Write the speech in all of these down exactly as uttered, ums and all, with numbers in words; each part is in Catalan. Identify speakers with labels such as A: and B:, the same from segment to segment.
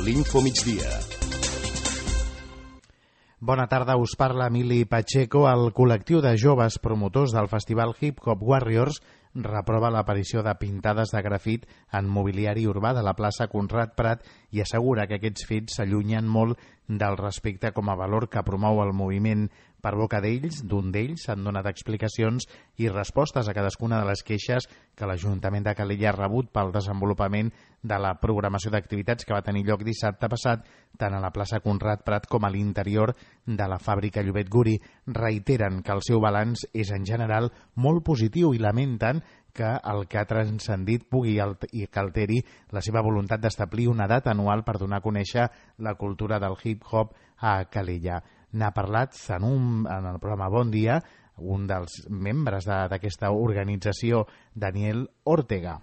A: l'Infomigdia.
B: Bona tarda, us parla Emili Pacheco. El col·lectiu de joves promotors del festival Hip Hop Warriors reprova l'aparició de pintades de grafit en mobiliari urbà de la plaça Conrad Prat i assegura que aquests fets s'allunyen molt del respecte com a valor que promou el moviment. Per boca d'ells, d'un d'ells, s'han donat explicacions i respostes a cadascuna de les queixes que l'Ajuntament de Calella ha rebut pel desenvolupament de la programació d'activitats que va tenir lloc dissabte passat tant a la plaça Conrad Prat com a l'interior de la fàbrica Llobet Guri. Reiteren que el seu balanç és en general molt positiu i lamenten que el que ha transcendit pugui i que alteri la seva voluntat d'establir una data anual per donar a conèixer la cultura del hip-hop a Calella. N'ha parlat en, un, en el programa Bon Dia un dels membres d'aquesta organització, Daniel Ortega.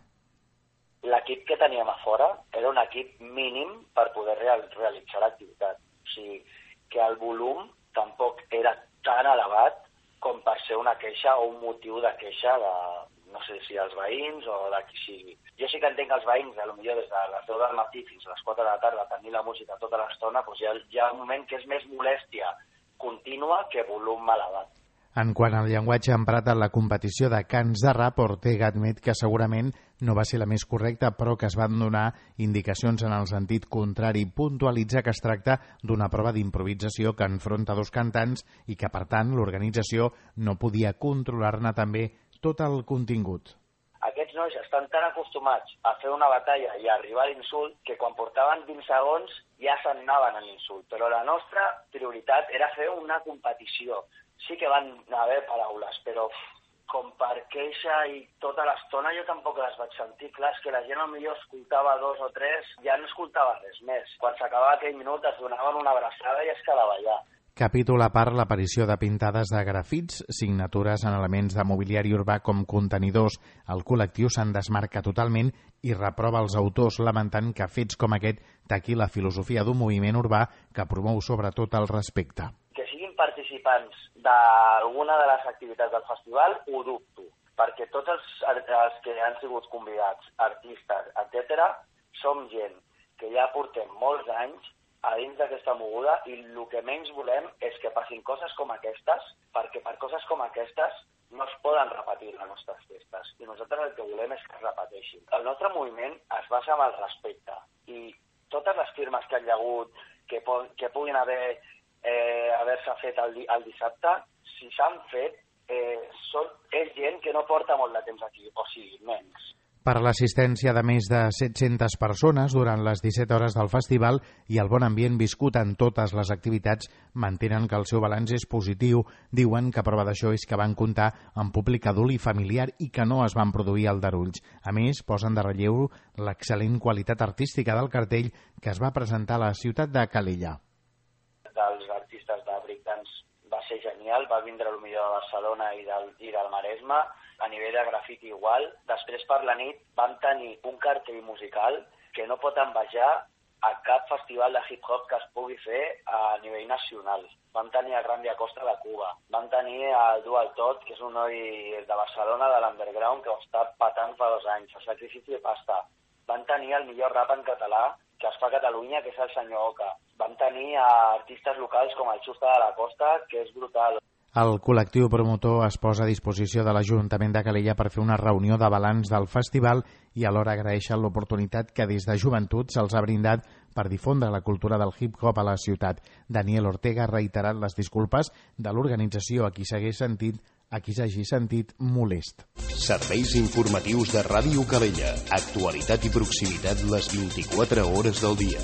C: L'equip que teníem a fora era un equip mínim per poder real, realitzar l'activitat. O sigui, que el volum tampoc era tan elevat com per ser una queixa o un motiu de queixa de, no sé si els veïns o de qui sigui. Jo sí que entenc els veïns, potser des de les deu del matí fins a les quatre de la tarda, tenir la música tota l'estona, doncs hi ha, hi ha un moment que és més molèstia contínua que volum elevat.
B: En quant al llenguatge emprat en la competició de cants de rap, Ortega admet que segurament no va ser la més correcta, però que es van donar indicacions en el sentit contrari. Puntualitza que es tracta d'una prova d'improvisació que enfronta dos cantants i que, per tant, l'organització no podia controlar-ne també tot el contingut.
C: Aquests nois estan tan acostumats a fer una batalla i a arribar a l'insult que quan portaven vint segons ja se'n anaven a l'insult. Però la nostra prioritat era fer una competició. Sí que van haver paraules, però com per queixa i tota l'estona jo tampoc les vaig sentir. Clar, és que la gent potser escoltava dos o tres, ja no escoltava res més. Quan s'acabava aquell minut es donaven una abraçada i es quedava allà.
B: Capítol a part l'aparició de pintades de grafits, signatures en elements de mobiliari urbà com contenidors. El col·lectiu se'n desmarca totalment i reprova els autors lamentant que fets com aquest taqui la filosofia d'un moviment urbà que promou sobretot el respecte.
C: Que siguin participants d'alguna de les activitats del festival ho dubto, perquè tots els, els que han sigut convidats, artistes, etcètera, som gent que ja portem molts anys a dins d'aquesta moguda i el que menys volem és que passin coses com aquestes, perquè per coses com aquestes no es poden repetir les nostres festes i nosaltres el que volem és que es repeteixin. El nostre moviment es basa en el respecte i totes les firmes que hi ha hagut que, que puguin haver eh, haver-se fet el, el dissabte, si s'han fet, eh, són, és gent que no porta molt de temps aquí, o sigui, menys.
B: Per l'assistència de més de set-centes persones durant les disset hores del festival i el bon ambient viscut en totes les activitats, mantenen que el seu balanç és positiu. Diuen que prova d'això és que van comptar amb públic adult i familiar i que no es van produir aldarulls. A més, posen de relleu l'excel·lent qualitat artística del cartell que es va presentar a la ciutat de Calella.
C: Dels artistes de breakdance va ser genial, va vindre el millor de Barcelona i del, i del Maresme, a nivell de grafiti igual. Després per la nit vam tenir un cartell musical que no pot envejar a cap festival de hip-hop que es pugui fer a nivell nacional. Vam tenir el Randy Acosta de Cuba, vam tenir el Dual Tot, que és un noi de Barcelona, de l'underground, que ho està patant fa dos anys, el Sacrifici de Pasta. Vam tenir el millor rap en català que es fa a Catalunya, que és el senyor Oca. Vam tenir artistes locals com el Xusta de la Costa, que és brutal.
B: El col·lectiu promotor es posa a disposició de l'Ajuntament de Calella per fer una reunió de balanç del festival i alhora agraeixen l'oportunitat que des de joventut se'ls ha brindat per difondre la cultura del hip-hop a la ciutat. Daniel Ortega ha reiterat les disculpes de l'organització a qui s'hagués sentit a qui s'hagi sentit molest.
A: Serveis informatius de Ràdio Calella. Actualitat i proximitat les vint-i-quatre hores del dia.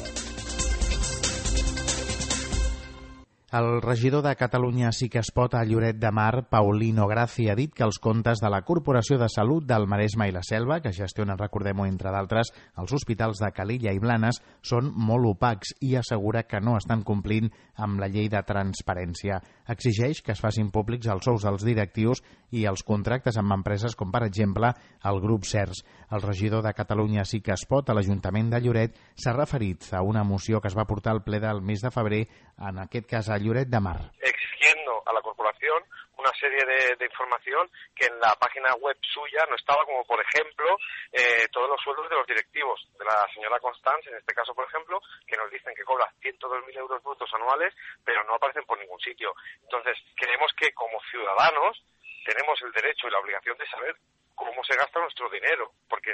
B: El regidor de Catalunya Sí que es pot a Lloret de Mar, Paulino Gracia, ha dit que els comptes de la Corporació de Salut del Maresme i la Selva, que gestiona, recordem-ho, entre d'altres, els hospitals de Calella i Blanes, són molt opacs i assegura que no estan complint amb la llei de transparència. Exigeix que es facin públics els sous dels directius i els contractes amb empreses com, per exemple, el grup CERS. El regidor de Catalunya Sí que es pot a l'Ajuntament de Lloret s'ha referit a una moció que es va portar al ple del mes de febrer, en aquest cas a Lloret de Mar.
D: Exigiendo a la corporación una serie de, de información que en la página web suya no estaba, como por ejemplo eh, todos los sueldos de los directivos, de la señora Constance, en este caso por ejemplo, que nos dicen que cobra ciento dos mil euros brutos anuales, pero no aparecen por ningún sitio. Entonces, creemos que como ciudadanos tenemos el derecho y la obligación de saber cómo se gasta nuestro dinero, porque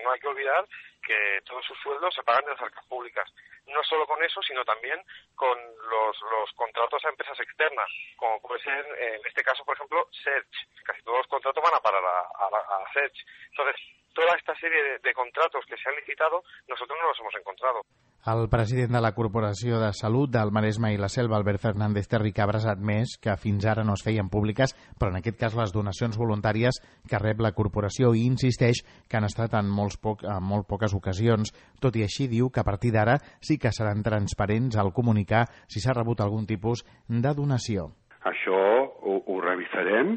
D: no hay que olvidar que todos sus sueldos se pagan de las arcas públicas. No solo con eso, sino también con los, los contratos a empresas externas, como puede ser, en este caso, por ejemplo, Search. Casi todos los contratos van a parar a, a, a Search. Entonces, toda esta serie de, de contratos que se han licitado, nosotros no los hemos encontrado.
B: El president de la Corporació de Salut del Maresme i la Selva, Albert Fernández Terricabras, ha admès que fins ara no es feien públiques, però en aquest cas les donacions voluntàries que rep la corporació, i insisteix que han estat en, molts poc, en molt poques ocasions. Tot i així, diu que a partir d'ara sí que seran transparents al comunicar si s'ha rebut algun tipus de donació.
E: Això ho, ho revisarem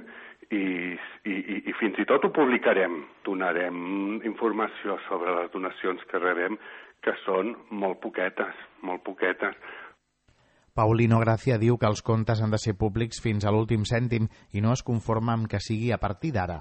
E: i, i, i fins i tot ho publicarem. Donarem informació sobre les donacions que rebem, que són molt poquetes, molt poquetes.
B: Paulino Gracia diu que els comptes han de ser públics fins a l'últim cèntim i no es conforma amb que sigui a partir d'ara.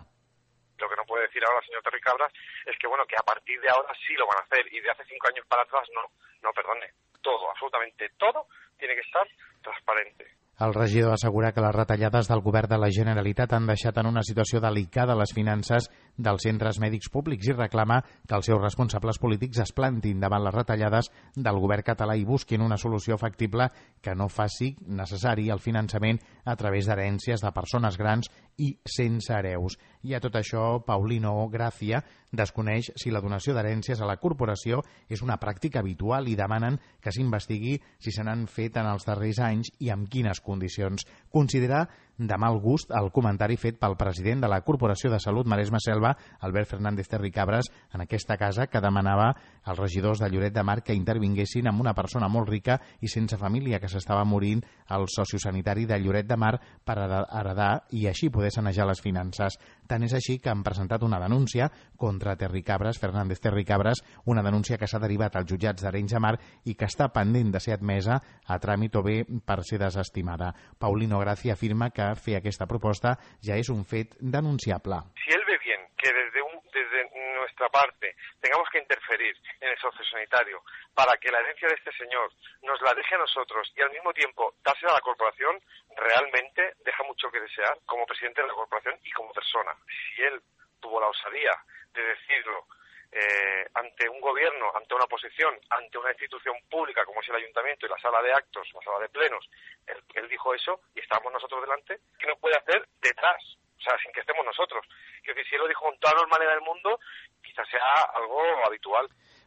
D: Lo que no puede decir ahora el señor Terricabras es que, bueno, que a partir de ahora sí lo van a hacer y de hace cinco años para atrás no. No, perdone, todo, absolutamente todo tiene que estar transparente.
B: El regidor assegura que les retallades del govern de la Generalitat han deixat en una situació delicada les finances dels centres mèdics públics i reclama que els seus responsables polítics es plantin davant les retallades del govern català i busquin una solució factible que no faci necessari el finançament a través d'herències de persones grans i sense hereus. I a tot això, Paulino Gracia desconeix si la donació d'herències a la corporació és una pràctica habitual i demanen que s'investigui si se n'han fet en els darrers anys i amb quines condicions. Considera de mal gust el comentari fet pel president de la Corporació de Salut Maresme-Selva, Albert Fernández Terricabras, en aquesta casa, que demanava als regidors de Lloret de Mar que intervinguessin amb una persona molt rica i sense família que s'estava morint al sociosanitari de Lloret de Mar per heredar i així poder sanejar les finances. Tant és així que han presentat una denúncia contra Terricabras, Fernández Terricabras, una denúncia que s'ha derivat als jutjats d'Arenys de Mar i que està pendent de ser admesa a tràmit o bé per ser desestimada. Paulino Gracia afirma que fer aquesta proposta ja és un fet denunciable.
D: Si él ve bien que desde, un, desde nuestra parte tengamos que interferir en el sociosanitario para que la herencia de este señor nos la deje a nosotros y al mismo tiempo dársela a la corporación, realmente deja mucho que desear como presidente de la corporación y como persona. Si él tuvo la osadía de decirlo Eh, ante un gobierno, ante una oposición, ante una institución pública como es el ayuntamiento y la sala de actos, la sala de plenos, él, él dijo eso y estábamos nosotros delante, ¿qué nos puede hacer detrás? O sea, sin que estemos nosotros. Que si él lo dijo con toda normalidad del mundo, quizás sea algo habitual.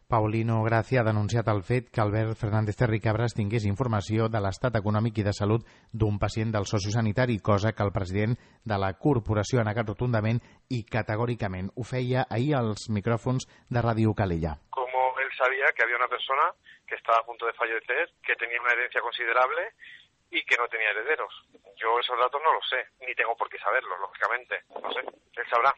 B: Paulino Gracia ha denunciat el fet que Albert Fernández Terricabras tingués informació de l'estat econòmic i de salut d'un pacient del sociosanitari, cosa que el president de la corporació ha negat rotundament i categòricament. Ho feia ahir als micròfons de Ràdio Calella.
D: Como él sabía que había una persona que estaba a punto de fallecer, que tenía una herencia considerable y que no tenía herederos. Yo esos datos no los sé, ni tengo por qué saberlos, lógicamente. No sé, él sabrá.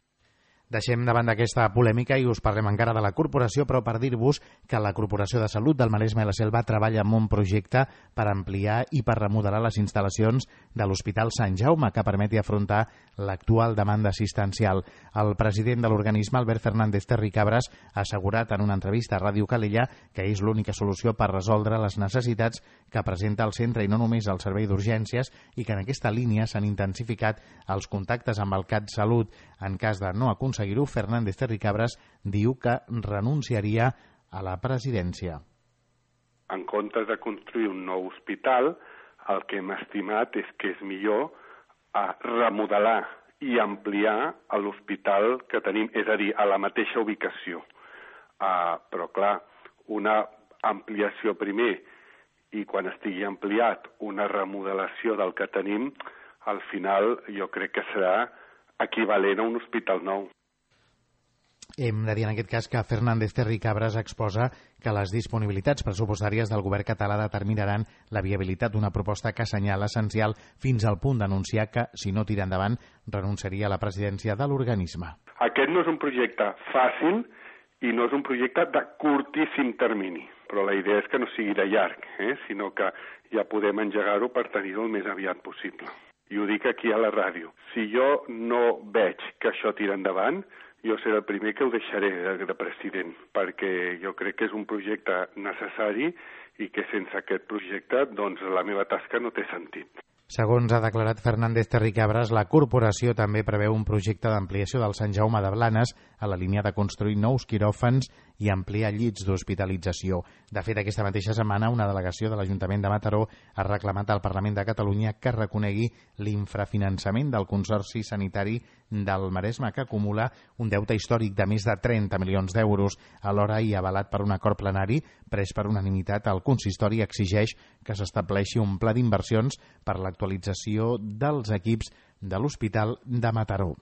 B: Deixem davant d'aquesta polèmica i us parlem encara de la corporació, però per dir-vos que la Corporació de Salut del Maresme i la Selva treballa en un projecte per ampliar i per remodelar les instal·lacions de l'Hospital Sant Jaume que permeti afrontar l'actual demanda assistencial. El president de l'organisme, Albert Fernández Terricabras, ha assegurat en una entrevista a Ràdio Calella que és l'única solució per resoldre les necessitats que presenta el centre i no només el servei d'urgències i que en aquesta línia s'han intensificat els contactes amb el CatSalut. En cas de no aconseguir-ho, Fernández Terricabras diu que renunciaria a la presidència.
E: En comptes de construir un nou hospital, el que hem estimat és que és millor a remodelar i ampliar l'hospital que tenim, és a dir, a la mateixa ubicació. Uh, però, clar, una ampliació primer i quan estigui ampliat una remodelació del que tenim, al final jo crec que serà equivalent a un hospital nou.
B: Hem de dir en aquest cas que Fernández Terricabras exposa que les disponibilitats pressupostàries del govern català determinaran la viabilitat d'una proposta que assenyala essencial fins al punt d'anunciar que, si no tira endavant, renunciaria a la presidència de l'organisme.
E: Aquest no és un projecte fàcil i no és un projecte de curtíssim termini, però la idea és que no sigui de llarg, eh? sinó que ja podem engegar-ho per tenir-ho el més aviat possible. i ho dic aquí a la ràdio. Si jo no veig que això tira endavant, jo seré el primer que ho deixaré de, de president, perquè jo crec que és un projecte necessari i que sense aquest projecte doncs, la meva tasca no té sentit.
B: Segons ha declarat Fernández Terricabras, la corporació també preveu un projecte d'ampliació del Sant Jaume de Blanes a la línia de construir nous quiròfans i ampliar llits d'hospitalització. De fet, aquesta mateixa setmana, una delegació de l'Ajuntament de Mataró ha reclamat al Parlament de Catalunya que reconegui l'infrafinançament del Consorci Sanitari del Maresme, que acumula un deute històric de més de trenta milions d'euros. Alhora, i avalat per un acord plenari pres per unanimitat, el consistori exigeix que s'estableixi un pla d'inversions per l'actualització dels equips de l'Hospital de Mataró.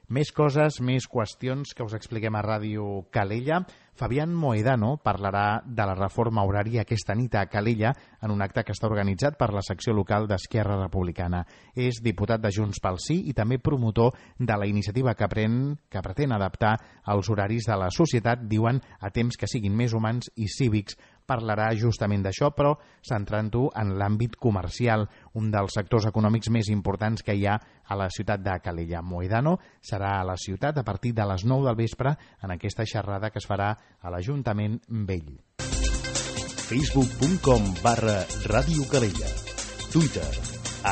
B: Més coses, més qüestions que us expliquem a Ràdio Calella. Fabián Mohedano parlarà de la reforma horària aquesta nit a Calella en un acte que està organitzat per la secció local d'Esquerra Republicana. És diputat de Junts pel Sí i també promotor de la iniciativa que, pren, que pretén adaptar els horaris de la societat, diuen, a temps que siguin més humans i cívics. Parlarà justament d'això, però centrant-ho en l'àmbit comercial, un dels sectors econòmics més importants que hi ha a la ciutat de Calella. Mohedano serà a la ciutat a partir de les nou del vespre en aquesta xerrada que es farà a l'Ajuntament Vell.
A: facebook punt com barra Ràdio Calella. Twitter,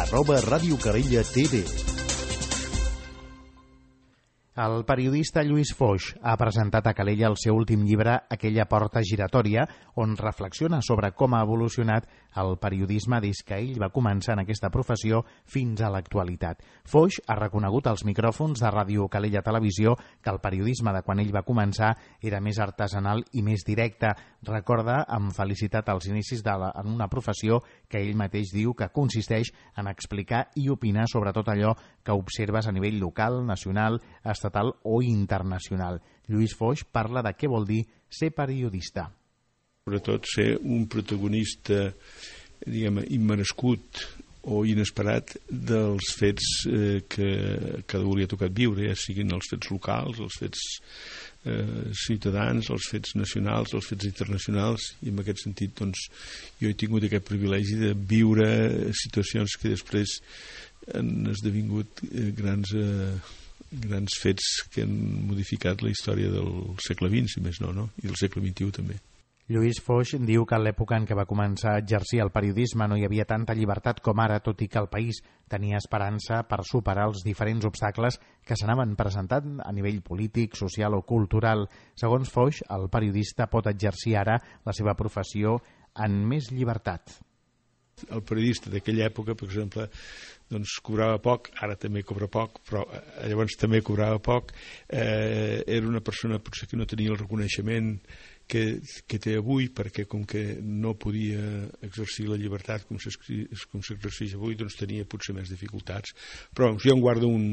A: arroba Ràdio Calella T V.
B: El periodista Lluís Foix ha presentat a Calella el seu últim llibre, Aquella porta giratòria, on reflexiona sobre com ha evolucionat el periodisme des que ell va començar en aquesta professió fins a l'actualitat. Foix ha reconegut als micròfons de Ràdio Calella Televisió que el periodisme de quan ell va començar era més artesanal i més directe. Recorda amb felicitat els inicis de la, en una professió que ell mateix diu que consisteix en explicar i opinar sobre tot allò que observes a nivell local, nacional, estatal o internacional. Lluís Foix parla de què vol dir ser periodista.
F: Sobretot ser un protagonista, diguem, immerescut o inesperat dels fets eh, que cada un li ha tocat viure, ja siguin els fets locals, els fets eh, ciutadans, els fets nacionals, els fets internacionals, i en aquest sentit doncs, jo he tingut aquest privilegi de viure situacions que després han esdevingut eh, grans... Eh, grans fets que han modificat la història del segle vint, si més no, no? I del segle vint-i-u també.
B: Lluís Foix diu que en l'època en què va començar a exercir el periodisme no hi havia tanta llibertat com ara, tot i que el país tenia esperança per superar els diferents obstacles que s'anaven presentant a nivell polític, social o cultural. Segons Foix, el periodista pot exercir ara la seva professió en més llibertat.
F: El periodista d'aquella època, per exemple, doncs cobrava poc, ara també cobra poc, però llavors també cobrava poc, eh, era una persona potser que no tenia el reconeixement que, que té avui, perquè com que no podia exercir la llibertat com s'exerceix avui, doncs tenia potser més dificultats. Però jo em guardo un,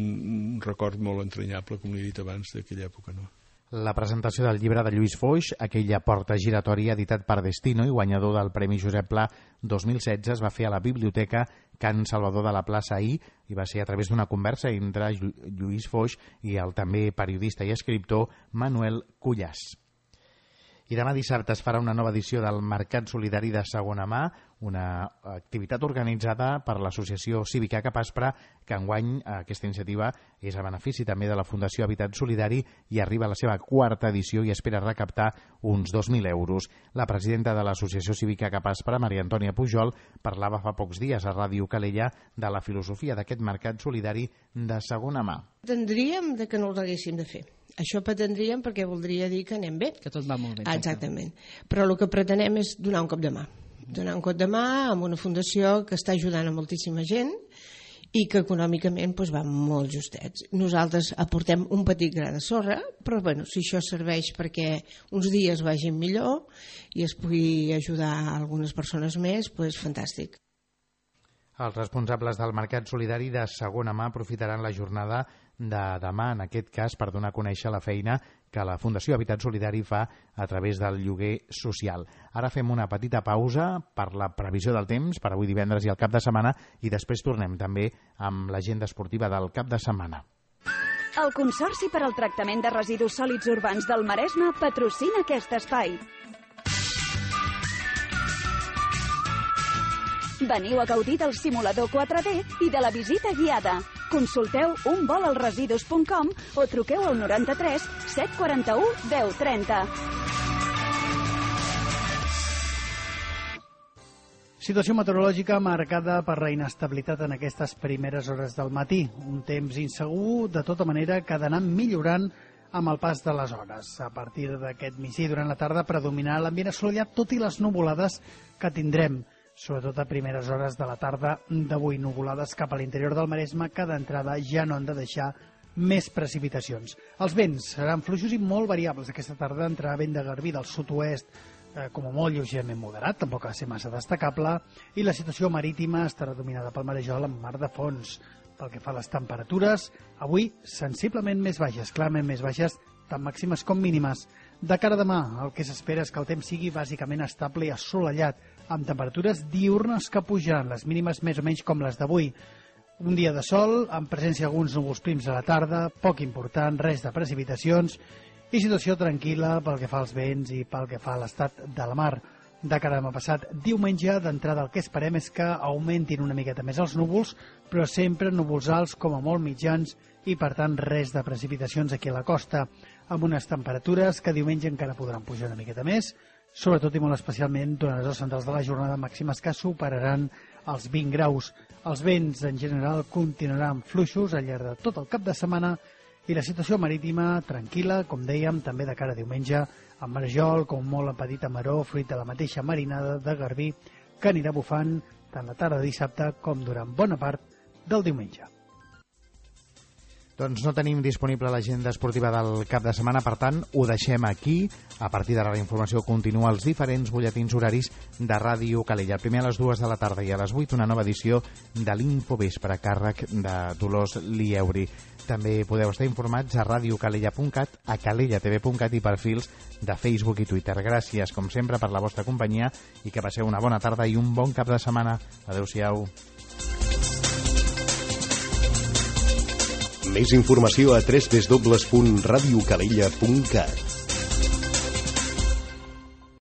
F: un record molt entranyable, com he dit abans, d'aquella època, no?
B: La presentació del llibre de Lluís Foix, Aquella porta giratòria, editat per Destino i guanyador del Premi Josep Pla dos mil setze, es va fer a la Biblioteca Can Salvador de la Plaça ahir i va ser a través d'una conversa entre Lluís Foix i el també periodista i escriptor Manuel Cuyàs. I demà dissabte es farà una nova edició del Mercat Solidari de Segona Mà, una activitat organitzada per l'Associació Cívica Capaspra, que enguany aquesta iniciativa és a benefici també de la Fundació Habitat Solidari i arriba a la seva quarta edició i espera recaptar uns dos mil euros. La presidenta de l'Associació Cívica Capaspra, Maria Antònia Pujol, parlava fa pocs dies a Ràdio Calella de la filosofia d'aquest Mercat Solidari de Segona Mà.
G: Tendríem de que no els haguéssim de fer. Això pretendríem perquè voldria dir que anem bé.
H: Que tot va molt bé.
G: Exactament. Però el que pretenem és donar un cop de mà. Donar un cop de mà amb una fundació que està ajudant a moltíssima gent i que econòmicament doncs, va molt justets. Nosaltres aportem un petit gra de sorra, però bueno, si això serveix perquè uns dies vagin millor i es pugui ajudar a algunes persones més, doncs fantàstic.
B: Els responsables del Mercat Solidari de Segona Mà aprofitaran la jornada de demà, en aquest cas, per donar a conèixer la feina que la Fundació Habitat Solidari fa a través del lloguer social. Ara fem una petita pausa per la previsió del temps per avui divendres i el cap de setmana i després tornem també amb l'agenda esportiva del cap de setmana.
I: El Consorci per al Tractament de Residus Sòlids Urbans del Maresme patrocina aquest espai. Veniu a gaudir del simulador quatre D i de la visita guiada. Consulteu un vol als residus punt com o truqueu al noranta-tres set quaranta-u deu trenta.
H: Situació meteorològica marcada per la inestabilitat en aquestes primeres hores del matí. Un temps insegur, de tota manera, que ha d'anar millorant amb el pas de les hores. A partir d'aquest migdia durant la tarda predominarà l'ambient assolellat, tot i les nuvolades que tindrem, sobretot a primeres hores de la tarda d'avui. Nuvolades cap a l'interior del Maresme que d'entrada ja no han de deixar més precipitacions. Els vents seran fluixos i molt variables. Aquesta tarda entrarà vent de garbí del sud-oest, eh, com a molt lleugerament moderat, tampoc ha de ser massa destacable, i la situació marítima estarà dominada pel marejol amb mar de fons. Pel que fa a les temperatures, avui sensiblement més baixes, clarament més baixes, tant màximes com mínimes. De cara a demà, el que s'espera és que el temps sigui bàsicament estable i assolellat, amb temperatures diurnes que pujaran, les mínimes més o menys com les d'avui. Un dia de sol, amb presència d'alguns núvols prims a la tarda, poc important, res de precipitacions, i situació tranquil·la pel que fa als vents i pel que fa a l'estat de la mar. De cara a demà passat, diumenge, d'entrada el que esperem és que augmentin una miqueta més els núvols, però sempre núvols alts com a molt mitjans i, per tant, res de precipitacions aquí a la costa, amb unes temperatures que diumenge encara podran pujar una miqueta més, sobretot i molt especialment durant les hores centrals de la jornada, màximes que superaran els vint graus. Els vents, en general, continuaran fluixos al llarg de tot el cap de setmana i la situació marítima tranquil·la, com dèiem, també de cara a diumenge, amb marejol, com molt en petita maró, fruit de la mateixa marinada de garbí, que anirà bufant tant la tarda de dissabte com durant bona part del diumenge.
B: Doncs no tenim disponible l'agenda esportiva del cap de setmana, per tant, ho deixem aquí. A partir d'ara la informació continua als diferents butlletins horaris de Ràdio Calella. El primer a les dues de la tarda i a les vuit una nova edició de l'Infovespre, a càrrec de Dolors Lieuri. També podeu estar informats a radiocalella punt cat, a calella t v punt cat i perfils de Facebook i Twitter. Gràcies, com sempre, per la vostra companyia i que passeu una bona tarda i un bon cap de setmana. Adéu-siau.
A: Més informació a w w w punt radiocalella punt cat.